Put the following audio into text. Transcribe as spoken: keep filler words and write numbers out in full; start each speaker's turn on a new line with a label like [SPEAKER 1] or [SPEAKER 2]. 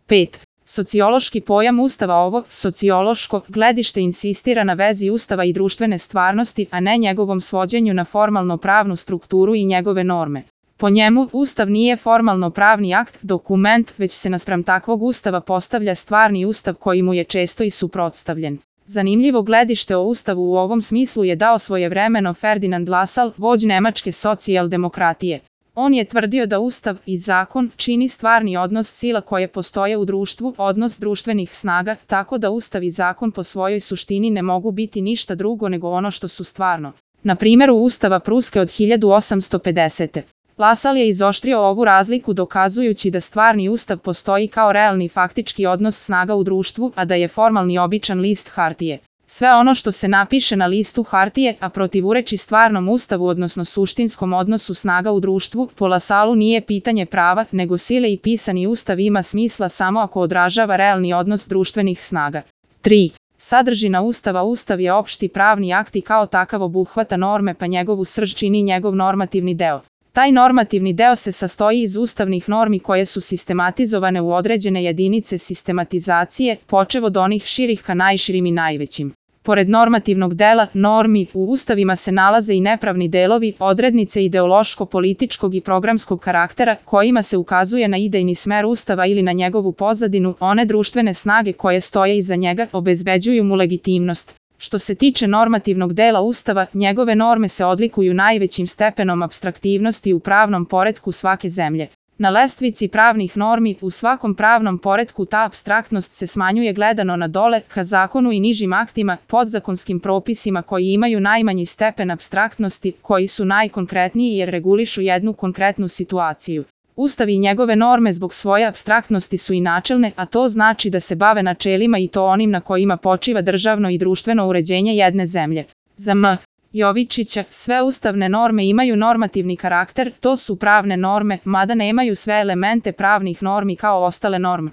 [SPEAKER 1] pet. Sociološki pojam Ustava. Ovo sociološko gledište insistira na vezi Ustava i društvene stvarnosti, a ne njegovom svođenju na formalno-pravnu strukturu i njegove norme. Po njemu, Ustav nije formalno-pravni akt, dokument, već se naspram takvog Ustava postavlja stvarni Ustav koji mu je često i suprotstavljen. Zanimljivo gledište o Ustavu u ovom smislu je dao svojevremeno Ferdinand Lassalle, vođ nemačke socijaldemokratije. On je tvrdio da Ustav i zakon čini stvarni odnos sila koje postoje u društvu, odnos društvenih snaga, tako da Ustav i zakon po svojoj suštini ne mogu biti ništa drugo nego ono što su stvarno. Na primjeru Ustava Pruske od hiljadu osamsto pedesete. Lassalle je izoštrio ovu razliku dokazujući da stvarni Ustav postoji kao realni faktički odnos snaga u društvu, a da je formalni običan list hartije. Sve ono što se napiše na listu hartije, a protivureči stvarnom Ustavu odnosno suštinskom odnosu snaga u društvu, po Lassalleu nije pitanje prava, nego sile i pisani Ustav ima smisla samo ako odražava realni odnos društvenih snaga. tri. Sadržina Ustava. Ustav je opšti pravni akt i kao takav obuhvata norme pa njegovu srž čini njegov normativni deo. Taj normativni deo se sastoji iz ustavnih normi koje su sistematizovane u određene jedinice sistematizacije, počev od onih širih ka najširim i najvećim. Pored normativnog dela, normi, u ustavima se nalaze i nepravni delovi, odrednice ideološko-političkog i programskog karaktera, kojima se ukazuje na idejni smer Ustava ili na njegovu pozadinu, one društvene snage koje stoje iza njega obezbeđuju mu legitimnost. Što se tiče normativnog dela Ustava, njegove norme se odlikuju najvećim stepenom apstraktivnosti u pravnom poretku svake zemlje. Na lestvici pravnih normi, u svakom pravnom poretku ta apstraktnost se smanjuje gledano na dole, ka zakonu i nižim aktima, podzakonskim propisima koji imaju najmanji stepen apstraktnosti, koji su najkonkretniji jer regulišu jednu konkretnu situaciju. Ustav i njegove norme zbog svoje apstraktnosti su i načelne, a to znači da se bave načelima i to onim na kojima počiva državno i društveno uređenje jedne zemlje. Za M. Jovičića, sve ustavne norme imaju normativni karakter, to su pravne norme, mada nemaju sve elemente pravnih normi kao ostale norme.